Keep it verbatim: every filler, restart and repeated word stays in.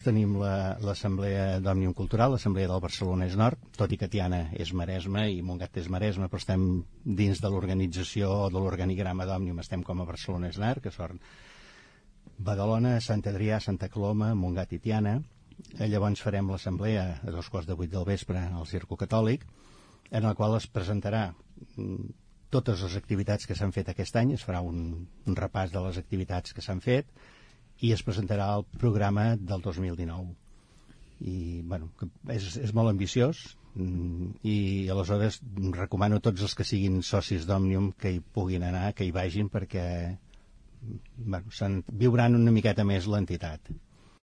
tenim l'Assemblea d'Òmnium Cultural, l'Assemblea del Barcelonès Nord, tot i que Tiana és Maresme i Montgat és Maresme, però estem dins de l'organització o de l'organigrama d'Òmnium, estem com a Barcelonès Nord, que són Badalona, Sant Adrià, Santa Coloma, Montgat i Tiana. Llavors farem l'assemblea a dos quarts de vuit del vespre al Circo Catòlic, en el qual es presentarà totes les activitats que s'han fet aquest any, es farà un, un repàs de les activitats que s'han fet i es presentarà el programa del dos mil dinou. I, bueno, és, és molt ambiciós i aleshores recomano a tots els que siguin socis d'Òmnium que hi puguin anar, que hi vagin, perquè bueno, viuran una miqueta més l'entitat.